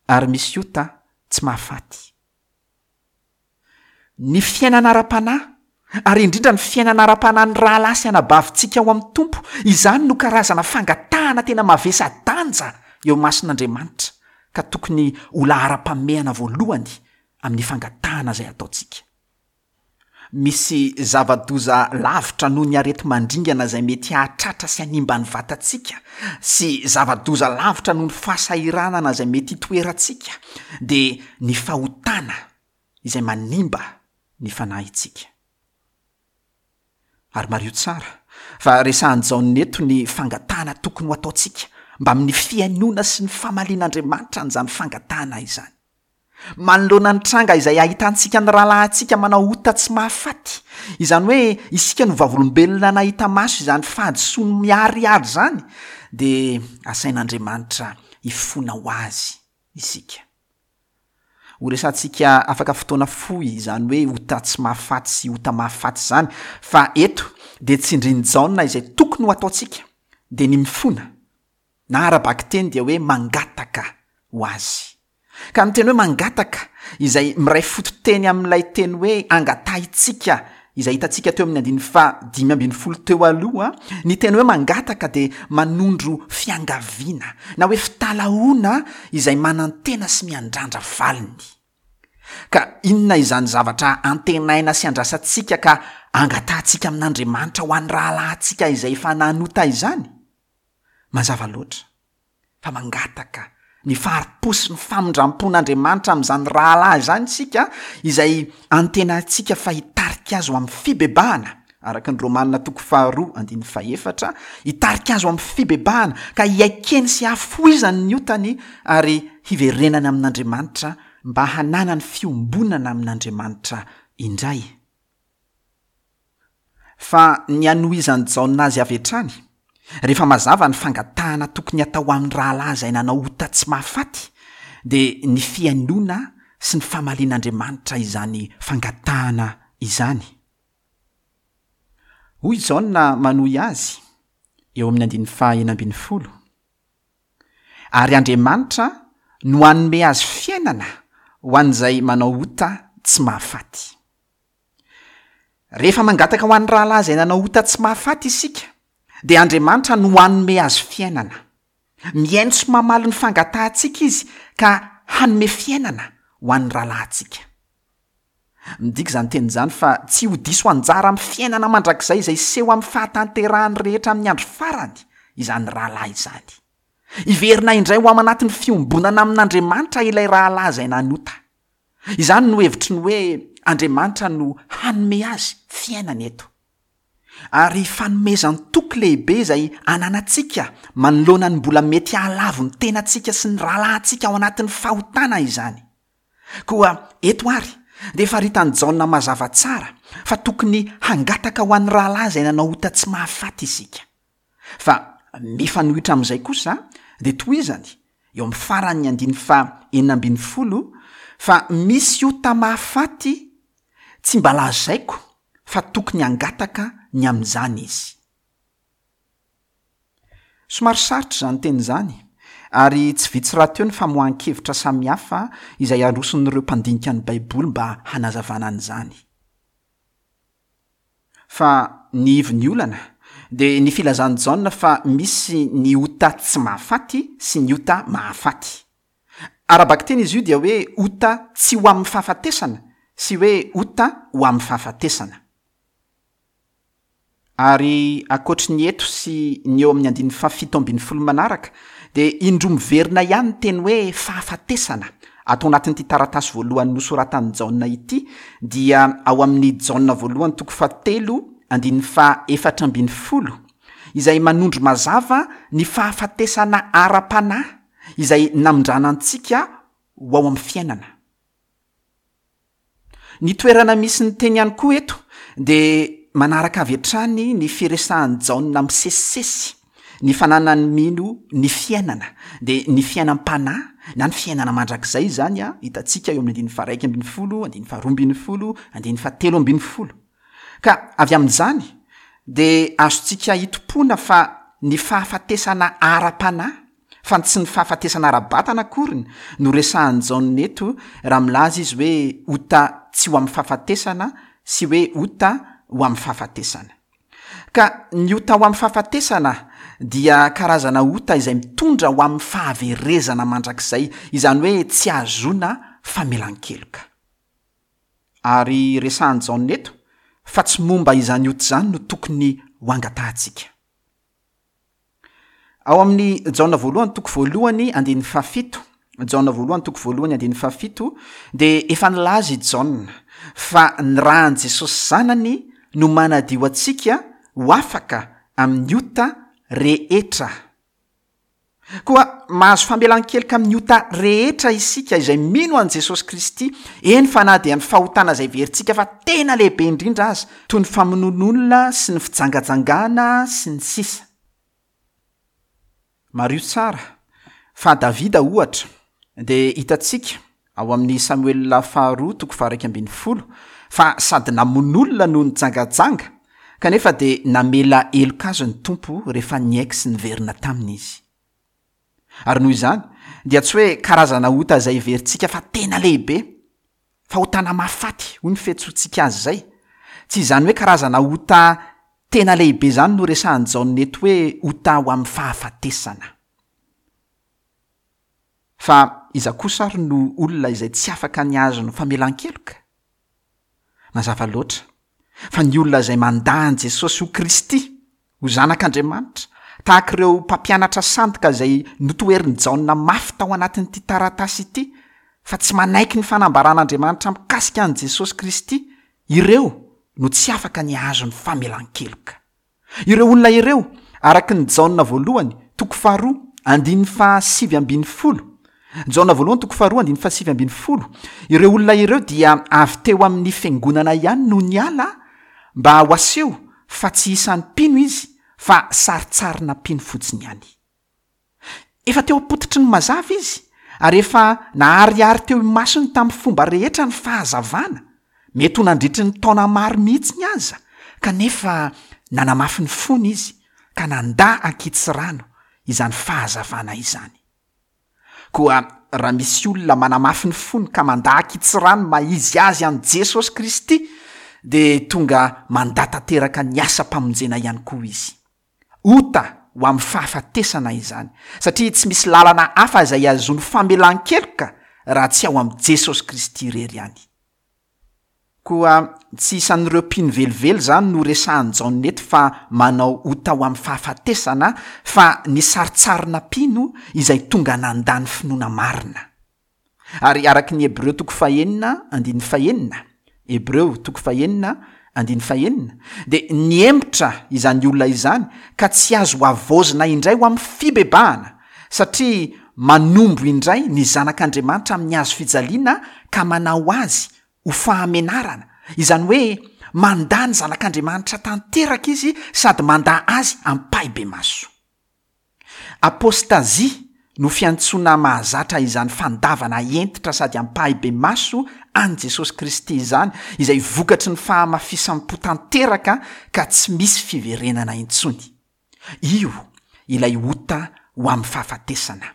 ary misy ota tsy mahafaty. Ny fiainana ara-panahy, ary indrindra ny fiainana ara-panahin'ny rahalahy sy anabavintsika ao amin'ny Tompo, izany no karazana fangatahana tena mavesa-danja eo imason'Andriamanitra, ka tokony ho laharam-pahamehana voalohany amin'ny fangatahana izay ataontsika. Misy zava-doza lavitra noho ny areti-mandringana izay mety hahatratra sy hanimba ny vatantsika, sy zava-doza lavitra noho ny fahasahiranana izay mety hitoerantsika, dia ny fahotana izay manimba ny fanahintsika. Ary mariho tsara fa resahan'i Jaona eto ny fangatahana tokony ho ataontsika mba amin'ny fihainoana sy ny famalian'Andriamanitra an'izany fangatahana izany. Manoloana ny tranga izay ahitantsika ny rahalahintsika manao ota tsy mahafaty, izany hoe isika no vavolombelona nahita maso izany fahadisoany miharihary izany, dia asain'Andriamanitra hifona ho azy isika. Ho resahantsika afaka fotoana fohy izany hoe ota tsy mahafaty sy ota mahafaty izany, fa eto dia tsindrin'i Jaona izay tokony ho ataontsika, dia ny mifona, na ara-bakiteny dia hoe mangataka ho azy. Ka ny teny hoe mangataka, izay miray fototeny amin'ilay teny hoe angatahintsika, izay hitantsika teo amin'ny andininy faha dimy ambin'ny folo teo aloha, ny teny hoe mangataka dia manondro fiangaviana, na hoe fitalahoana izay manantena sy miandrandra valiny. Ka inona izany zavatra antenaina sy andrasantsika ka angatahantsika amin'Andriamanitra ho an'ny rahalahintsika izay efa nanota izany? Mazava loatra fa mangataka ny fahari-po sy ny famindram-pon'Andriamanitra amin'izany rahalahy izany isika, izay antenaintsika fa hitarika azy ho amin'ny fibebahana araka ny Romana toko faharoa andininy fahefatra, hitarika azy ho amin'ny fibebahana ka hiaikeny sy hahafoizany ny otany ary hiverenany amin'Andriamanitra mba hananany fiombonana amin'Andriamanitra indray. Fa ny hanohizan'i Jaona azy avy hatrany, rehefa mazava ny fangatahana tokony hatao amin'ny rahalahy izay nanao ota tsy mahafaty, dia ny fihainoana sy ny famalian'Andriamanitra izany fangatahana izany. Hoy Jaona manohy azy eo amin'ny andininy faha enina ambin'ny folo, Ary Andriamanitra no hanome azy fiainana ho an'izay manao ota tsy mahafaty. Rehefa mangataka ho an'ny rahalahy izay nanao ota tsy mahafaty isika, dia Andriamanitra no hanome azy fiainana. Mihaino sy mamaly ny fangatahantsika Izy ka hanome fiainana ho an'ny rahalahintsika. Midika izany teny izany fa tsy ho diso anjara amin'ny fiainana mandrakizay izay hiseho amin'ny fahatanterahany rehetra amin'ny andro farany izany rahalahy izany. Hiverina indray ho ao anatin'ny fiombonana amin'Andriamanitra ilay rahalahy izay nanota. Izany no hevitry ny hoe Andriamanitra no hanome azy fiainana eto. Ary fanomezan-toky lehibe izay ananantsika manoloana ny mbola mety hahalavo ny tenantsika sy ny rahalahintsika ao anatin'ny fahotana izany. Koa eto àry dia faritan'i Jaona mazava tsara fa tokony hangataka ho an'ny rahalahy izay nanao ota tsy mahafaty isika. Fa mifanohitra amin'izay kosa dia tohizany eo amin'ny faran'ny andininy faha enina ambin'ny folo fa misy ota mahafaty tsy mba lazaiko fa tokony hangataka ny amin'izany izy. Somary sarotra izany teny izany, ary tsy vitsy rahateo ny famoahan-kevitra samihafa izay aroson'ireo mpandinika ny Baiboly mba hanazavana an'izany. Fa ny ivon'ny olana dia ny filazan'i Jaona fa misy ny ota tsy mahafaty sy ny ota mahafaty. Ara-bakiteny izy io dia hoe ota tsy ho amin'ny fahafatesana sy hoe ota ho amin'ny fahafatesana. Ary ankoatry ny eto sy ny eo amin'ny andininy fahafito ambin'ny folo manaraka dia indroa miverina ihany ny teny hoe fahafatesana ato anatin'ity taratasy voalohany nosoratan'i Jaona ity, dia ao amin'ny Jaona voalohany toko fahatelo andininy faha efatra ambin'ny folo, izay manondro mazava ny fahafatesana ara-panahy izay namindrana antsika ho ao amin'ny fiainana. Ny toerana misy ny teny ihany koa eto dia manaraka avy hatrany ny firesahan'i Jaona misesisesy ny fananan'ny mino ny fiainana, dia ny fiainam-panahy na ny fiainana mandrakizay izany a, hitantsika eo amin'ny andininy faha-iraika ambin'ny folo, andininy faharoa ambin'ny folo, andininy fahatelo ambin'ny folo. Ka avy amin'izany dia azontsika hitompoana fa ny fahafatesana ara-panahy, fa tsy ny fahafatesana ara-batana akoriny no resahan'i Jaona eto raha milaza izy hoe ota tsy ho amin'ny fahafatesana sy hoe ota ho amin'ny fahafatesana. Ka ny ota ho amin'ny fahafatesana dia karazana ota izay mitondra ho amin'ny fahaverezana mandrakizay, izany hoe tsy ahazoana famelan-keloka. Ary resahan'i Jaona eto fa tsy momba izany ota izany no tokony ho angatahantsika. Ao amin'ny Jaona voalohany toko voalohany andininy fahafito, Jaona voalohany toko voalohany andininy fahafito, dia efa nilaza i Jaona fa ny ràn'i Jesosy Zanany no manadio antsika ho afaka amin'ny ota rehetra. Koa mahazo famelan-keloka amin'ny ota rehetra isika izay mino an'i Jesosy Kristy, eny fa na dia ny fahotana izay heverintsika fa tena lehibe indrindra aza, toy ny famonoan'olona sy ny fijangajangana sy ny sisa. Mariho tsara fa Davida ohatra dia hitantsika ao amin'ny Samoela faharoa toko faha-iraika ambin'ny folo fa sady namono olona no nijangajanga, kanefa dia namela heloka azy ny Tompo rehefa niaiky sy niverina taminy izy. Ary noho izany dia tsy hoe karazana ota izay heverintsika fa tena lehibe, fahotana mahafaty hoy ny fiantsoantsika azy izay. Tsy izany hoe karazana ota tena lehibe izany no resahan'i Jaona eto hoe ota ho amin'ny fahafatesana. Fa iza kosa ary no olona izay tsy afaka ny hahazo ny famelan-keloka? Mazava loatra fa ny olona izay mandà an'i Jesosy ho Kristy, ho Zanak'Andriamanitra, tahaka ireo mpampianatra sandoka izay notoherin'i Jaona mafy tao anatin'ity taratasy ity, fa tsy manaiky ny fanambaran'Andriamanitra mikasika an'i Jesosy Kristy, ireo no tsy afaka ny hahazo ny famelan-keloka. Ireo olona ireo, araka ny Jaona voalohany, toko faharoa, andininy fahasivy ambin'ny folo, Jaona voalohany toko faharoa andininy fahasivy ambin'ny folo, ireo olona ireo dia avy teo amin'ny fiangonana ihany no niala mba ho aseho fa tsy isan'ny mpino izy fa sarintsarina mpino fotsiny ihany. Efa teo am-pototry ny mazava izy ary efa naharihary teo imasony tamin'ny fomba rehetra ny fahazavana, mety ho nandritry ny taona maro mihitsy aza, kanefa nanamafy ny fony izy ka nandà ankitsirano izany fahazavana izany. Koa raha misy olona manamafy ny fony ka mandà ankitsirano maha izy azy an'i Jesosy Kristy, dia tonga mandà tanteraka ny asam-pamonjena ihany koa izy. Ota ho amin'ny fahafatesana izany, satria tsy misy lalana hafa izay ahazoany famelan-keloka raha tsy ao amin'i Jesosy Kristy irery ihany. Koa tsy isan'ireo mpino velively izany no resahan'i Jaona eto fa manao ota ho amin'ny fahafatesana, fa ny sarintsarina mpino izay tonga nandà ny finoana marina. Ary araka ny Hebreo toko fahenina andininy fahenina, Hebreo toko fahenina andininy fahenina, dia nihemotra izany olona izany ka tsy azo havaozina indray ho amin'ny fibebahana, satria manombo indray ny zanak'Andriamanitra amin'ny hazo fijaliana ka manao azy ho fahamenarana, izany hoe mandà ny zanak'Andriamanitra tanteraka izy sady mandà azy ampahibemaso. Apôstazia no fiantsoana mahazatra izany fandavana hentitra sady ampahibemaso an'i Jesosy Kristy izany, izay vokatry ny fahamafisam-po tanteraka ka tsy misy fiverenana intsony. Io ilay ota ho amin'ny fahafatesana.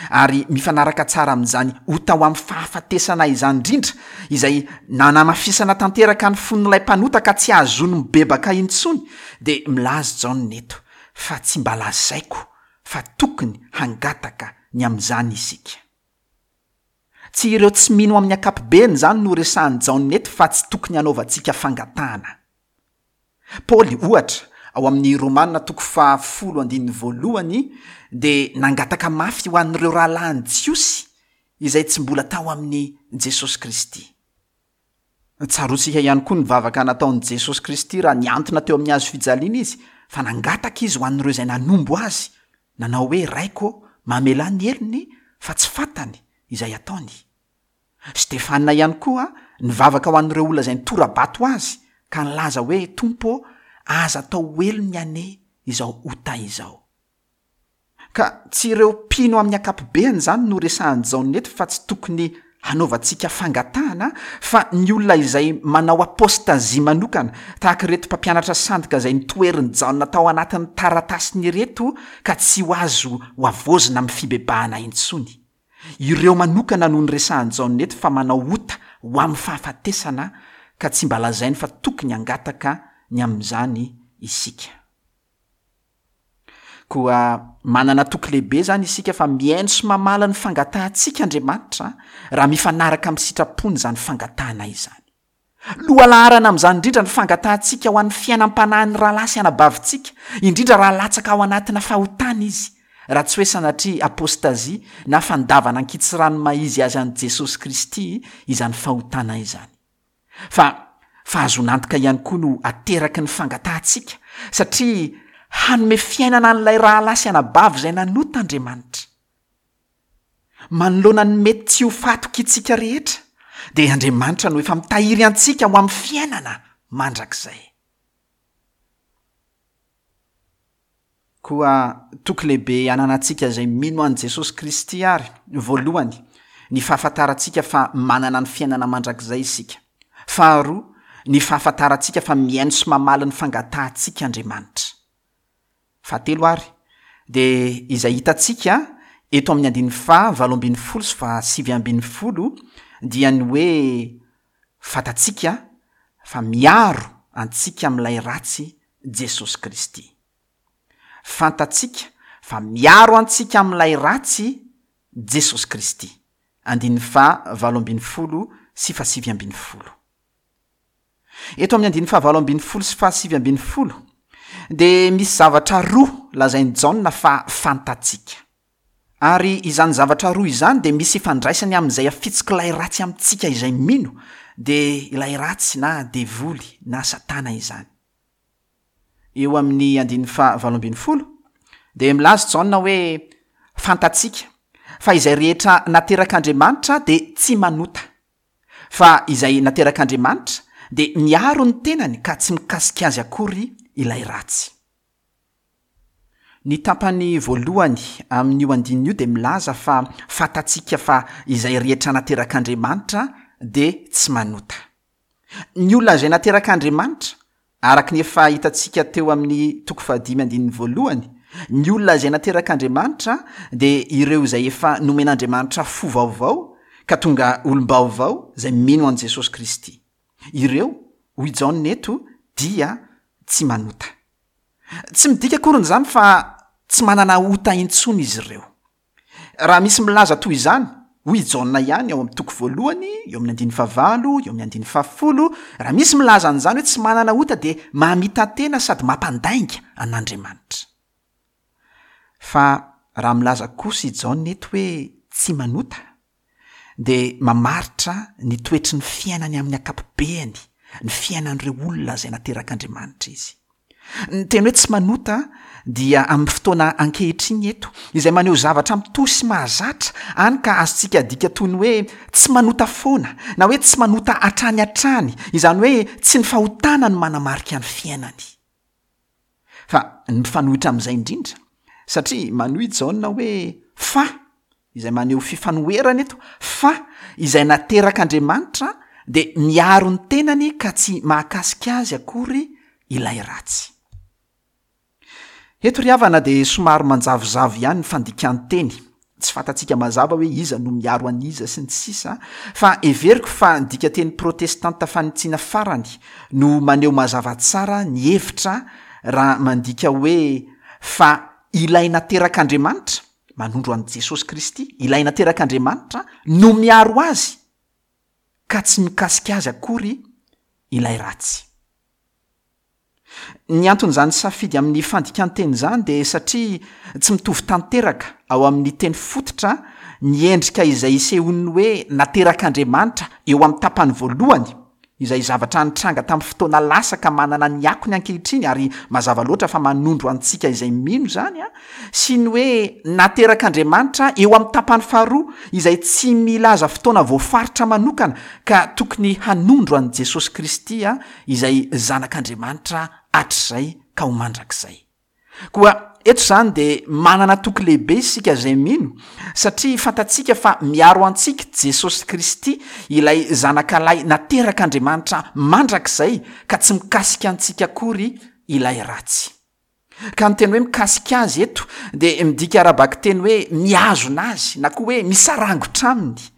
Ary mifanaraka tsara amin'izany ota ho amin'ny fahafatesana izany indrindra, izay nanamafisana tanteraka ny fon'ilay mpanota ka tsy ahazoany mibebaka intsony, dia milaza Jaona eto fa tsy mba lazaiko fa tokony hangataka ny amin'izany isika. Tsy ireo tsy mino amin'ny ankapobeny izany no resahan'i Jaona eto fa tsy tokony hanaovantsika fangatahana. Paoly, ohatra, ao amin'ny Romana toko fahafolo andininy voalohany dia nangataka mafy ho an'ireo rahalahiny Jiosy izay tsy mbola tao amin'i Jesosy Kristy. Tsaroantsika ihany koa ny vavaka nataon'i Jesosy Kristy raha nihantona teo amin'ny hazo fijaliana izy, fa nangataka izy ho an'ireo izay nanombo azy, nanao hoe: Raiko, mamelà ny helony fa tsy fantany izay ataony. Stefana ihany koa nivavaka ho an'ireo olona izay nitora-bato azy ka nilaza hoe: Tompo, aza atao helony anie izao ota izao. Ka tsy ireo mpino amin'ny ankapobeny izany no resahan'i Jaona eto fa tsy tokony hanaovantsika fangatahana, fa ny olona izay manao apôstazia manokana, tahaka ireto mpampianatra sandoka izay nitoherin'i Jaona tao anatin'ny taratasiny ireto ka tsy ho azo ho havaozina amin'ny fibebahana intsony. Ireo manokana no niresahan'i Jaona eto fa manao ota ho amin'ny fahafatesana ka tsy mba lazainy fa tokony hangataka ny amin'izany isika. Koa manana toky lehibe izany isika fa mihaino sy mamaly ny fangatahantsika Andriamanitra raha mifanaraka amin'ny sitrapony izany fangatahana izany. Lohalaharana amin'izany indrindra ny fangatahantsika ho an'ny fiainam-panahin'ny rahalahy sy anabavintsika, indrindra raha latsaka ao anatina fahotana izy, raha tsy hoe sanatria apôstazia na fandavana ankitsirano maha izy azy an'i Jesosy Kristy izany fahotana izany. Fa fahazoan'antoka ihany koa no ateraky ny fangatahantsika, satria hanome fiainana an'ilay rahalahy sy anabavy izay nanota Andriamanitra. Manoloana ny mety tsy ho fahatokiantsika rehetra, dia Andriamanitra no efa mitahiry antsika ho amin'ny fiainana mandrakizay. Koa toky lehibe ananantsika izay mino an'i Jesosy Kristy ary, voalohany, ny fahafantarantsika fa manana ny fiainana mandrakizay isika. Faharoa, ny fahafantarantsika fa mihaino sy mamaly ny fangatahantsika Andriamanitra. Fahatelo ary, dia izay hitantsika eto amin'ny andininy faha valo ambin'ny folo sy faha sivy ambin'ny folo dia ny hoe fantatsika fa miaro antsika amin'ilay ratsy Jesosy Kristy. Fantatsika fa miaro antsika amin'ilay ratsy Jesosy Kristy. Andininy faha valo ambin'ny folo sy faha sivy ambin'ny folo. Eto amin'ny andininy faha valo ambin'ny folo sy faha sivy ambin'ny folo dia misy zavatra roa lazain'i Jaona fa fantatsika. Ary izany zavatra roa izany dia misy ifandraisany amin'izay afitsok'ilay ratsy amintsika izay mino, dia ilay ratsy na devoly na satana izany. Eo amin'ny andininy faha valo ambin'ny folo dia milaza Jaona hoe fantatsika fa izay rehetra naterak'Andriamanitra dia tsy manota, fa izay naterak'Andriamanitra dia miaro ny tenany ka tsy mikasika azy akory ilay ratsy. Ny tapany voalohany amin'io andininy io dia milaza fa fantatsika fa izay rehetra naterak'Andriamanitra dia tsy manota. Ny olona izay naterak'Andriamanitra, araka ny efa hitantsika teo amin'ny toko fahadimy andininy voalohany, ny olona izay naterak'Andriamanitra dia ireo izay efa nomen'Andriamanitra fo vaovao ka tonga olom-baovao izay mino an'i Jesosy Kristy. Ireo, hoy Jaona eto, dia tsy manota. Tsy midika akory izany fa tsy manana ota intsony izy ireo. Raha misy milaza toy izany, hoy i Jaona ihany ao amin'ny toko voalohany, eo amin'ny andininy fahavalo, eo amin'ny andininy fahafolo, raha misy milaza an'izany hoe tsy manana ota dia mamita-tena sady mampandainga an'Andriamanitra. Fa raha milaza kosa i Jaona eto hoe tsy manota, dia mamaritra ny toetry ny fiainany amin'ny ankapobeny, ny fiainan'ireo olona izay naterak'Andriamanitra izy. Ny teny hoe tsy manota dia amin'ny fotoana ankehitriny eto, izay maneho zavatra mitohy sy mahazatra, hany ka azontsika adika toy ny hoe tsy manota foana, na hoe tsy manota hatrany hatrany, izany hoe tsy ny fahotana no manamarika ny fiainany. Fa ny mifanohitra amin'izay indrindra, satria manohy Jaona hoe fa, izay maneho fifanoherana eto, fa izay naterak'Andriamanitra dia miaro ny tenany ka tsy mahakasika azy akory ilay ratsy. Eto ry havana dia somary manjavozavo ihany ny fandikan-teny. Tsy fantatsika mazava hoe iza no miaro an'iza sy ny sisa, fa heveriko fa ny dikanteny protestanta fanitsiana farany no maneho mazava tsara ny hevitra raha mandika hoe fa ilay naterak'Andriamanitra, manondro an'i Jesosy Kristy, ilay naterak'Andriamanitra no miaro azy ka tsy mikasika azy akory ilay ratsy. Ny anton'izany safidy amin'ny fandikan-teny izany dia satria tsy mitovy tanteraka ao amin'ny teny fototra ny endrika izay isehoan'ny hoe naterak'Andriamanitra eo amin'ny tapany voalohany, izay zavatra nitranga tamin'ny fotoana lasa ka manana ny akony ankehitriny ary mazava loatra fa manondro antsika izay mino izany, sy ny hoe naterak'Andriamanitra eo amin'ny tapany faharoa izay tsy milaza fotoana voafaritra manokana ka tokony hanondro an'i Jesosy Kristy izay zanak'Andriamanitra hatrizay ka ho mandrakizay. Koa eto izany dia manana toky lehibe isika izay mino, satria fantatsika fa miaro antsika Jesosy Kristy, ilay zanakalahy naterak'Andriamanitra mandrakizay, ka tsy mikasika antsika akory ilay ratsy. Ka ny teny hoe mikasika azy eto dia midika ara-bakiteny hoe mihazona azy na koa hoe misarangotra aminy.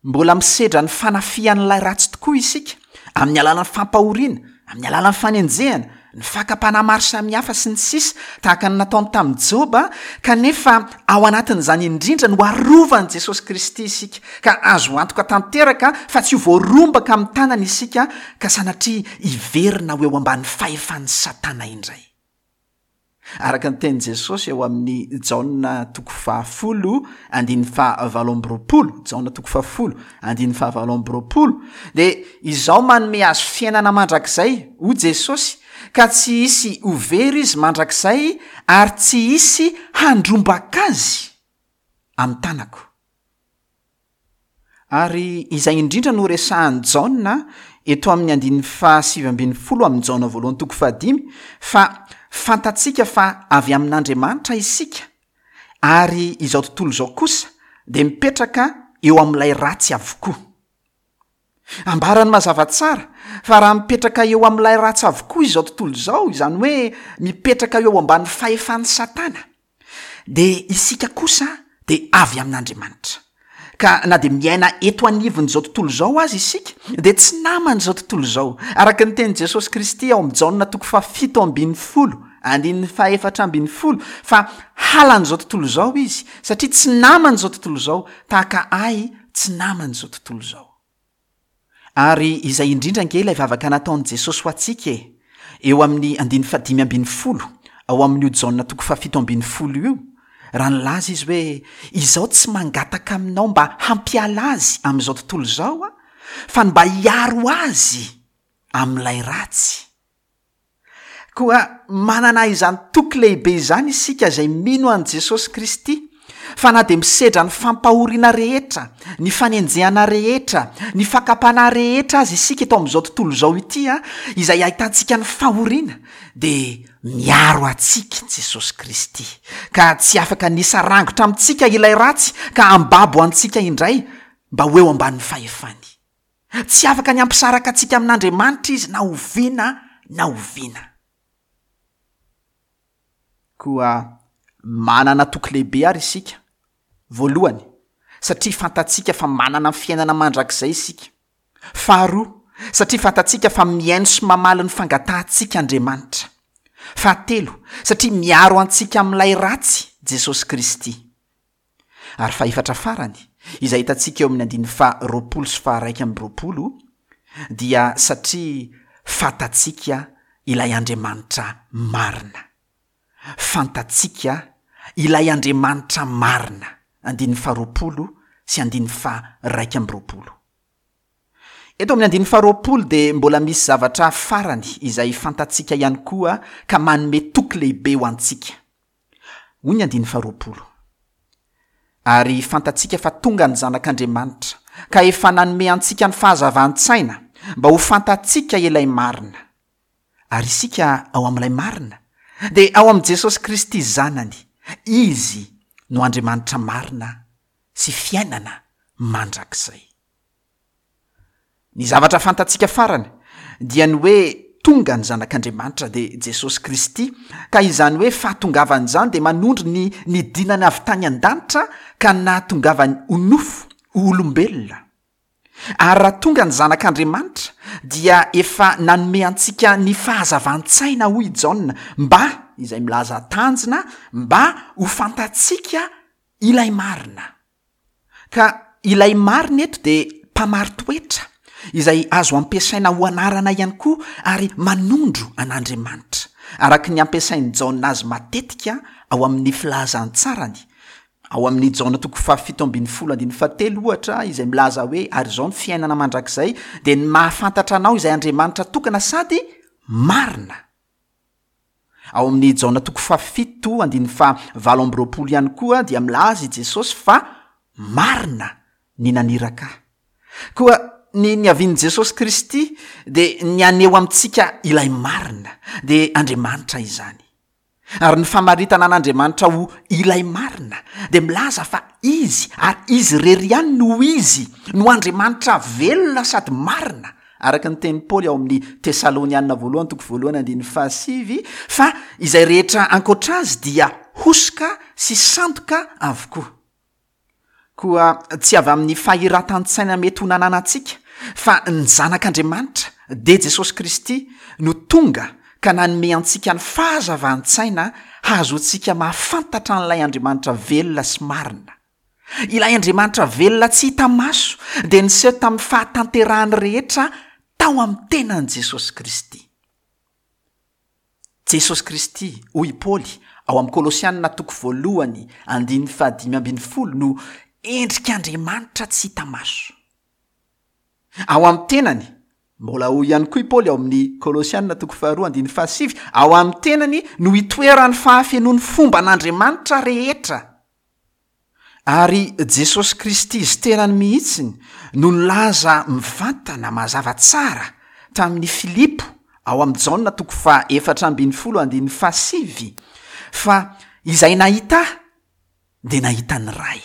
Mbola misedra ny fanafihan'ilay ratsy tokoa isika amin'ny alalan'ny fampahoriana, amin'ny alalan'ny fanenjehana, ny fakam-panahy maro samihafa sy ny sisa, tahaka ny nataony tamin'i Joba, kanefa ao anatin'izany indrindra no arovan'i Jesosy Kristy isika, ka azo antoka tanteraka fa tsy ho voarombaka amin'ny tanany isika, ka sanatria hiverina ho eo ambany fahefan'i Satana indray. Araka ny tenin'i Jesosy eo amin'ny Jaona toko fahafolo andininy fahavalo amby roapolo, Jaona toko fahafolo andininy fahavalo amby roapolo, dia izao manome azy fiainana mandrakizay, hoy Jesosy, ka tsy hisy ho very izy mandrakizay ary tsy hisy handrombaka azy amin'ny tanako. Ary izay indrindra no resahan'i Jaona eto amin'ny andininy fahasivy ambin'ny folo amin'ny Jaona voalohany toko fahadimy, fa fantatsika fa avy amin'Andriamanitra isika, ary izao tontolo izao kosa dia mipetraka eo amin'ilay ratsy avokoa. Ambarany mazava tsara fa raha mipetraka eo amin'ilay ratsy avokoa izao tontolo izao, izany hoe mipetraka eo ambany fahefan'i Satana, dia isika kosa dia avy amin'Andriamanitra. Ka na dia miaina eto anivon'izao tontolo izao aza isika, dia tsy naman'izao tontolo izao. Araka ny tenin'i Jesosy Kristy ao amin'ny Jaona toko fahafito ambin'ny folo, andininy fahefatra ambin'ny folo, fa halan'izao tontolo izao izy, satria tsy naman'izao tontolo izao, tahaka ahy tsy naman'izao tontolo izao. Ary izay indrindra ange ilay vavaka nataon'i Jesosy ho antsika e, eo amin'ny andininy fahadimy ambin'ny folo, ao amin'io Jaona toko fahafito ambin'ny folo io, raha nilaza izy hoe izao tsy mangataka aminao mba hampiala azy amin'izao tontolo izao aho, fa ny mba hiaro azy amin'ilay ratsy. Koa manana izany toky lehibe izany isika izay mino an'i Jesosy Kristy, fa na dia misedra ny fampahoriana rehetra, ny fanenjehana rehetra, ny fakam-panahy rehetra aza isika eto amin'izao tontolo izao ity, izay ahitantsika ny fahoriana, dia miaro antsika Jesosy Kristy, ka tsy afaka ny hisarangotra amintsika ilay ratsy ka hambabo antsika indray mba ho eo ambanin'ny fahefany. Tsy afaka ny hampisaraka antsika amin'Andriamanitra izy na oviana na oviana. Koa manana toky lehibe àry isika, voalohany, satria fantatsika fa manana ny fiainana mandrakizay isika. Faharoa, satria fantatsika fa mihaino sy mamaly ny fangatahantsika Andriamanitra. Fahatelo, satria miaro antsika amin'ilay ratsy Jesosy Kristy. Ary fahefatra farany, izay hitantsika eo amin'ny andininy faha roapolo sy faha iraika amby roapolo, dia satria fantatsika ilay Andriamanitra marina. Fantatsika ilay Andriamanitra marina, andininy faha roapolo sy andininy faha iraika amby roapolo. Eto amin'ny andininy faha roapolo dia mbola misy zavatra farany izay fantatsika ihany koa ka manome toky lehibe ho antsika. Hoy ny andininy faha roapolo, Ary fantatsika fa tonga ny Zanak'Andriamanitra, ka efa nanome antsika ny fahazavan-tsaina mba ho fantatsika ilay marina. Ary isika ao amin'ilay marina, dia ao amin'i Jesosy Kristy Zanany, Izy no Andriamanitra marina sy fiainana mandrakizay. Ny zavatra fantatsika farany dia ny hoe tonga ny Zanak'Andriamanitra, dia Jesosy Kristy, ka izany hoe fahatongavany izany dia manondro ny nidinany avy tany an-danitra ka nahatongavany ho nofo, ho olombelona. Ary raha tonga ny Zanak'Andriamanitra dia efa nanome antsika ny fahazavan-tsaina, hoy i Jaona, mba, izay milaza tanjona, mba ho fantatsika ilay marina. Ka ilay marina eto dia mpamari-toetra, izay azo ampiasaina ho anarana ihany koa ary manondro an'Andriamanitra, araka ny ampiasain'i Jaona azy matetika ao amin'ny filazantsarany, ao amin'ny Jaona toko fahafito ambin'ny folo andininy fahatelo ohatra, izay milaza hoe ary izao ny fiainana mandrakizay dia ny mahafantatra anao izay Andriamanitra tokana sady marina. Ao amin'ny Jaona toko fahafito andininy faha valo amby roapolo ihany koa dia milaza i Jesosy fa marina ny naniraka ahy. Koa ny niavian'i Jesosy Kristy dia ny haneho amintsika ilay marina, dia Andriamanitra izany. Ary ny famaritana an'Andriamanitra ho ilay marina dia milaza fa Izy ary Izy irery ihany no Izy no Andriamanitra velona sady marina, araka ny tenin'i Paoly ao amin'ny Tesaloniana voalohany toko voalohany andininy fahasivy, fa izay rehetra ankoatra Azy dia hosoka sy sandoka avokoa. Koa tsy avy amin'ny fahiratan-tsaina mety ho nananantsika, fa ny Zanak'Andriamanitra, dia Jesosy Kristy, no tonga ka nanome antsika ny fahazavan-tsaina hahazoantsika mahafantatra an'ilay Andriamanitra velona sy marina. Ilay Andriamanitra velona tsy hita maso dia niseho tamin'ny fahatanterahany rehetra tao amin'ny tenan'i Jesosy Kristy. Jesosy Kristy, hoy i Paoly ao amin'ny Kolosiana toko voalohany andininy fahadimy ambin'ny folo, no endrik'Andriamanitra tsy hita maso. Ao amin'ny tenany, mbola hoy ihany koa i Paoly ao amin'ny Kolosiana toko faharoa andininy fahasivy, ao amin'ny tenany no itoeran'ny fahafenoan'ny fomban'Andriamanitra rehetra. Ary Jesosy Kristy Izy tenany mihitsy no nilaza mivantana mazava tsara tamin'i Filipo ao amin'ny Jaona toko faha efatra ambin'ny folo andininy faha sivy fa izay nahita Ahy dia nahita ny Ray.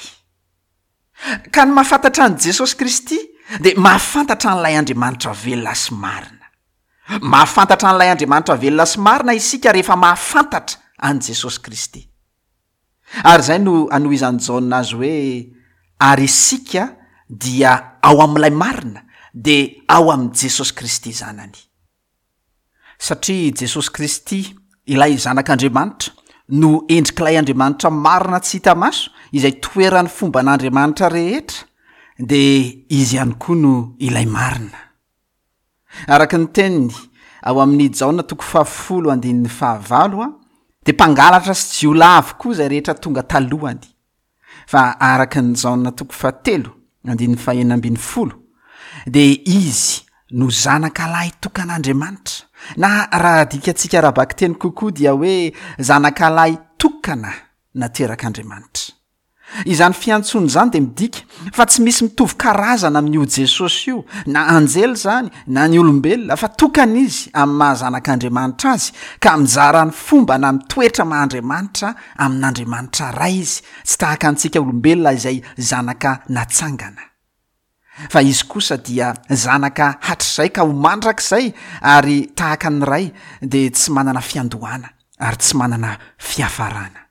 Ka ny mahafantatra an'i Jesosy Kristy dia mahafantatra an'ilay Andriamanitra velona sy marina. Mahafantatra an'ilay Andriamanitra velona sy marina isika rehefa mahafantatra an'i Jesosy Kristy. Ary izay no anohizan'i Jaona azy hoe, Ary isika dia ao amin'ilay marina, dia ao amin'i Jesosy Kristy Zanany. Satria Jesosy Kristy, ilay Zanak'Andriamanitra, no endrik'ilay Andriamanitra marina tsy hita maso, izay toeran'ny fomban'Andriamanitra rehetra, dia Izy ihany koa no ilay marina. Araka ny teniny ao amin'ny Jaona toko fahafolo andininy fahavalo, Dia mpangalatra sy jiolahy avokoa izay rehetra tonga talohany. Fa araka ny Jaona toko fahatelo, andininy fahenina ambin'ny folo, dia izy no zanaka lahy tokan'Andriamanitra, na raha adikantsika ara-bakiteny kokoa dia hoe zanaka lahy tokana naterak'Andriamanitra. Izany fiantsoana izany dia midika fa tsy misy mitovy karazana amin'io Jesosy io, na anjely izany na ny olombelona, fa tokana izy amin'ny maha zanak'Andriamanitra azy, ka mizara ny fomba na ny toetra maha Andriamanitra amin'Andriamanitra Ray izy, tsy tahaka antsika olombelona izay zanaka natsangana. Fa izy kosa dia zanaka hatrizay ka ho mandrakizay, ary tahaka ny Ray dia tsy manana fiandohana ary tsy manana fiafarana.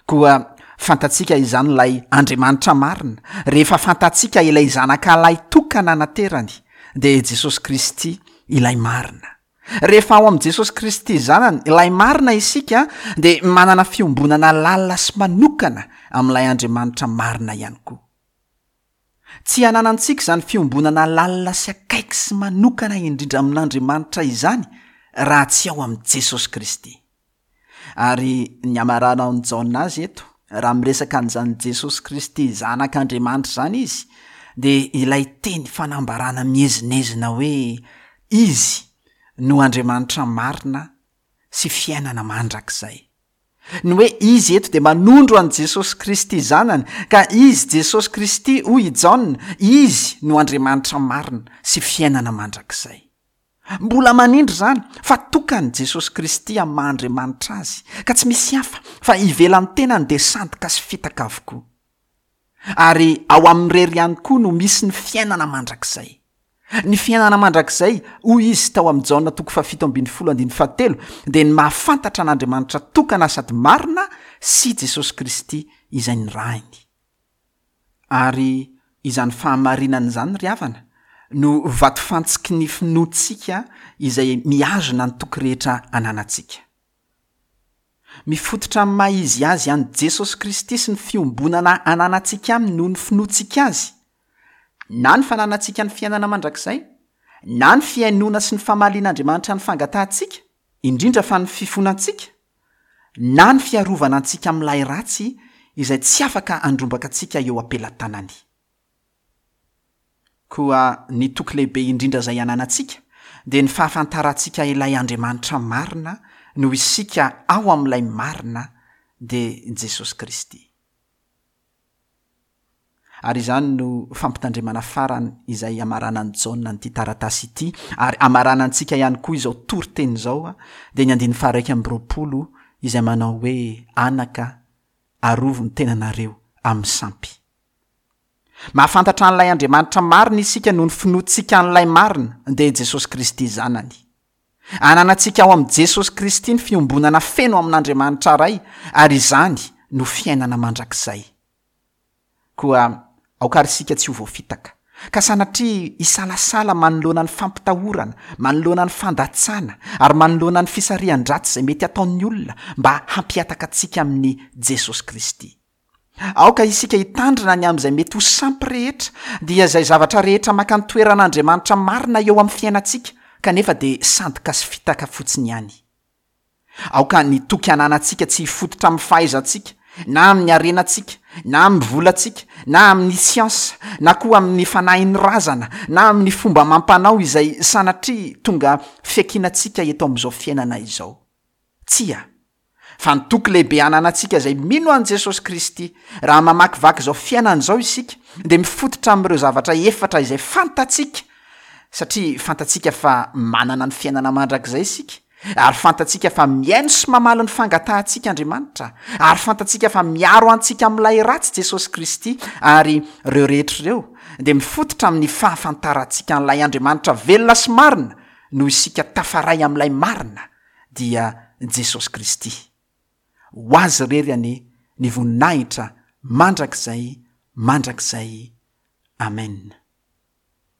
Koa fantatsika izany ilay Andriamanitra marina, rehefa fantatsika ilay Zanaka lahy tokana naterany, dia Jesosy Kristy ilay marina. Rehefa ao amin'i Jesosy Kristy Zanany, ilay marina isika, dia manana fiombonana lalina sy manokana amin'ilay Andriamanitra marina ihany koa. Tsy ananantsika izany fiombonana lalina sy akaiky sy manokana indrindra amin'Andriamanitra izany raha tsy ao amin'i Jesosy Kristy. Ary ny hamaranan'i Jaona azy eto, raha miresaka an'izany Jesosy Kristy Zanak'Andriamanitra izany izy, dia ilay teny fanambarana miezinezina hoe Izy no Andriamanitra marina sy fiainana mandrakizay. Ny hoe Izy eto dia manondro an'i Jesosy Kristy Zanany, ka Izy Jesosy Kristy, hoy i Jaona, Izy no Andriamanitra marina sy fiainana mandrakizay. Mbola manindry izany fa tokany Jesosy Kristy amin'ny maha Andriamanitra Azy, ka tsy misy hafa fa ivelan'ny tenany dia sandoka sy fitaka avokoa. Ary ao aminy irery ihany koa no misy ny fiainana mandrakizay. Ny fiainana mandrakizay, hoy Izy tao amin'ny Jaona toko fahafito ambin'ny folo andininy fahatelo, dia ny mahafantatra an'Andriamanitra tokana sady marina sy Jesosy Kristy izay nirahiny. Ary izany fahamarinana izany ry havana no vatofantsiky ny finoantsika izay mihazona ny toky rehetra ananantsika. Mifototra amin'ny maha izy azy an'i Jesosy Kristy sy ny fiombonana ananantsika aminy noho ny finoantsika azy, na ny fananantsika ny fiainana mandrakizay, na ny fihainoana sy ny famalian'Andriamanitra ny fangatahantsika, indrindra fa ny fifonantsika, na ny fiarovana antsika amin'ilay ratsy izay tsy afaka handrombaka antsika eo am-pelatanany. Koa ny toky lehibe indrindra izay ananantsika dia ny fahafantarantsika ilay Andriamanitra marina noho isika ao amin'ilay marina dia Jesosy Kristy. Ary izany no fampitandremana farany izay hamaranan'i Jaona an'ity taratasy ity, ary hamaranantsika ihany koa izao toriteny izao, dia ny andininy faha-iraika amby roapolo izay manao hoe, Anaka, arovy ny tenanareo amin'ny sampy. Mahafantatra an'ilay Andriamanitra marina isika noho ny finoantsika an'ilay marina, dia Jesosy Kristy Zanany. Ananantsika ao amin'i Jesosy Kristy ny fiombonana feno amin'Andriamanitra Ray, ary izany no fiainana mandrakizay. Koa aoka àry isika tsy ho voafitaka, ka sanatria hisalasala manoloana ny fampitahorana, manoloana ny fandatsana, ary manoloana ny fisarihan-dratsy izay mety hataon'ny olona mba hampihataka antsika amin'i Jesosy Kristy. Aoka isika hitandrina ny amin'izay mety ho sampy rehetra, dia izay zavatra rehetra maka ny toeran'Andriamanitra marina eo amin'ny fiainantsika, kanefa dia sandoka sy fitaka fotsiny ihany. Aoka ny toky ananantsika tsy hifototra amin'ny fahaizantsika, na amin'ny harenantsika, na amin'ny volantsika, na amin'ny siansa, na koa amin'ny fanahin'ny razana, na amin'ny fomba amam-panao izay sanatria tonga fiankinantsika eto amin'izao fiainana izao. Tsia! Fa ny toky lehibe ananantsika izay mino an'i Jesosy Kristy, raha mamakivaky izao fiainana izao isika, dia mifototra amin'ireo zavatra efatra izay fantatsika, satria fantatsika fa manana ny fiainana mandrakizay isika, ary fantatsika fa mihaino sy mamaly ny fangatahantsika Andriamanitra, ary fantatsika fa miaro antsika amin'ilay ratsy Jesosy Kristy, ary ireo rehetra ireo dia mifototra amin'ny fahafantarantsika an'ilay Andriamanitra velona sy marina noho isika tafaray amin'ilay marina, dia Jesosy Kristy. Ho Azy irery anie ny voninahitra mandrakizay mandrakizay. Amen.